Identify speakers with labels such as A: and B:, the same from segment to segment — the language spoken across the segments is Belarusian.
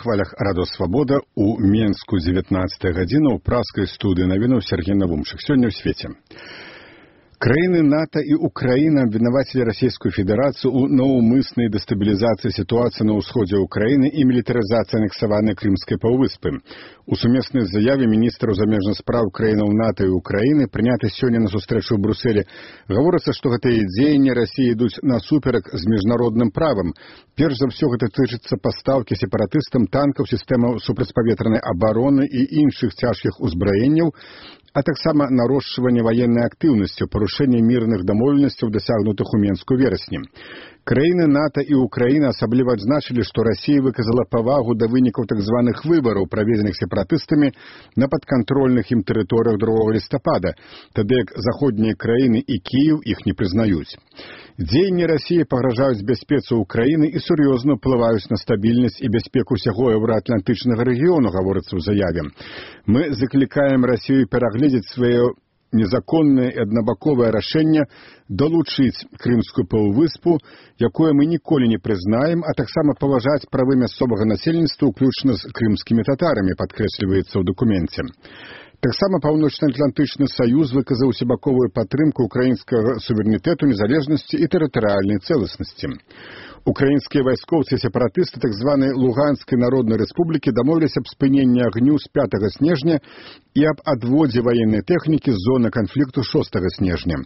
A: хвалях Радо Свабода у Менску 19 гадзіна ў праскай студыі навінаў Сергей Навумчык. Сёння ў свеце. Краіны НАТО і Украіна абвінавацілі Расійскую Федэрацыю ў наўмыснай дэстабілізацыі сітуацыі на ўсходзе Украіны і мілітарызацыі анексаванай Крымскай паўвыспы. У сумеснай заяве міністраў замежных спраў краінаў НАТО і Украіны, прынятай сёння на сустрэчу ў Брюсселі, гаворыцца, што гэтыя дзеянні Расіі ідуць насуперак з міжнародным правам. Перш за ўсё гэта тычыцца пастаўкі сепаратыстам танкаў, сістэмаў супрацьпаветранай абароны і іншых цяжкіх узбраенняў, а таксама нарошчванне ваеннай актыўнасці, парушэнне мірных дамоўленасцяў, дасягнутых у Менску верасні. Краіны НАТО і Украіна асабліва адзначылі, што Расія выказала павагу да вынікаў так званых выбараў, праведзеных сепаратыстамі на падкантрольных ім тэрыторыях 2 лістапада, тады як заходнія краіны і Кіеў іх не прызнаюць. Дзеянні Расіі пагражаюць бяспецы Украіны і сур'ёзна ўплываюць на стабільнасць і бяспеку ўсяго еўраатлантычнага рэгіёну, гаворыцца ў заяве. Мы заклікаем Расію перагледзець свае незаконнае і аднабаковае рашэнне далучыць Крымскую паўвыспу, якое мы ніколі не прызнаем, а таксама паважаць правы мясцовага насельніцтва, уключна з крымскімі татарамі, падкрэсліваецца ў дакуменце. Таксама Паўночна-Атлантычны саюз выказаў усебаковую падтрымку украінскага суверэнітэту, незалежнасці і тэрытарыяльнай цэласнасці. Украінскія вайскоўцы і сепаратысты так званай Луганскай народнай рэспублікі дамовіліся аб спыненні агню з 5 снежня і аб адводзе ваеннай тэхнікі з зоны канфлікту 6 снежня.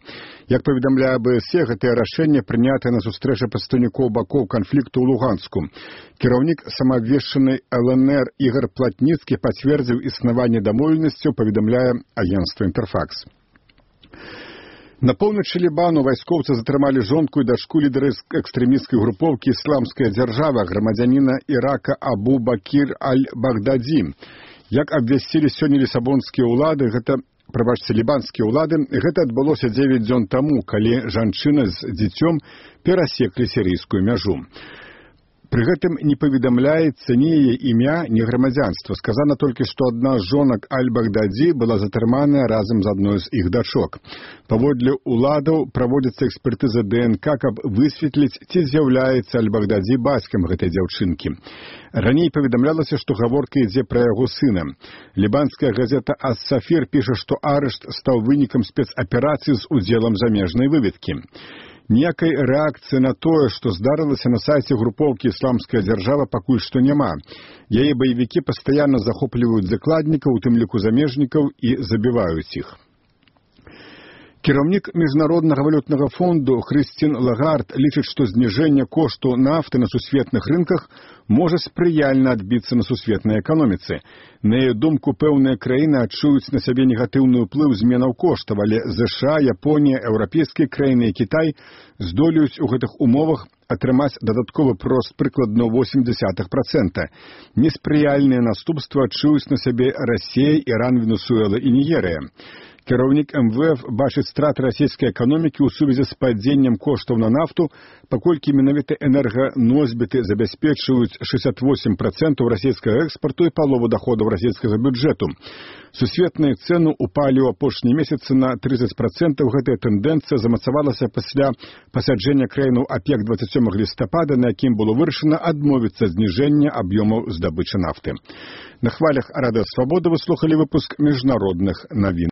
A: Як паведамляе АБС, гэтае рашэнне прынятае на сустрэчы прадстаўнікоў бакоў канфлікту ў Луганску. Кіраўнік самаабвешчанай ЛНР Ігор Платніцкі пацвердзіў існаванне дамоўленасцяў, паведамляе агенцтва «Інтэрфакс». На поўначы Лібану вайскоўцы затрымалі жонку і дачку лідара экстрэмісцкай групоўкі «Ісламская дзяржава», грамадзяніна Ірака Абу Бакір Аль-Багдадзі. Як абвясцілі сёння лісабонскія ўлады, лібанскія ўлады, гэта адбылося 9 дзён таму, калі жанчына з дзіцём перасеклі сірыйскую мяжу. Пры гэтым не паведамляецца ні яе імя, ні грамадзянства. Сказана толькі, што адна з жонак Аль-Багдадзі была затрыманая разам з адной з іх дачок. Паводле ўладаў праводзіцца экспертыза ДНК, каб высветліць, ці з'яўляецца Аль-Багдадзі бацькам гэтай дзяўчынкі. Раней паведамлялася, што гаворка ідзе пра яго сына. Лібанская газета «Ас-Сафір» піша, што арышт стаў вынікам спецаперацыі з удзелам замежнай выведкі. Ніякай рэакцыі на тое, што здарылася на сайце групоўкі «Ісламская дзяржава», пакуль што няма. Яе баевікі пастаянна захопліваюць закладнікаў, у тым ліку замежнікаў, і забіваюць іх. Кіраўнік Міжнароднага валютнага фонду Хрысцін Лагард лічыць, што зніжэнне кошту нафты на сусветных рынках можа спрыяльна адбіцца на сусветнай эканоміцы. На яе думку, пэўныя краіны адчуюць на сябе негатыўны ўплыў зменаў коштаў, але ЗША, Японія, еўрапейскія краіны і Кітай здолеюць у гэтых умовах атрымаць дадатковы прост прыкладна 0,8%. Неспрыяльныя наступствы адчуюць на сябе Расія, Іран, Венесуэла і Нігерыя. Кіраўнік МВФ бачыць страты расійскай эканомікі ў сувязі з падзеннем коштаў на нафту, паколькі менавіта энерганосьбіты забяспечваюць 68% расійскага экспарту і палову даходаў расійскага бюджэту. Сусветныя цэны упалі ў апошнія месяцы на 30%. Гэтая тэндэнцыя замацавалася пасля пасяджэння краінаў ОПЕК 27 лістапада, на якім было вырашана адмовіцца зніжэння аб'ёмаў здабычы нафты. На хвалях Радыё Свабода вы слухалі выпуск міжнародных навін.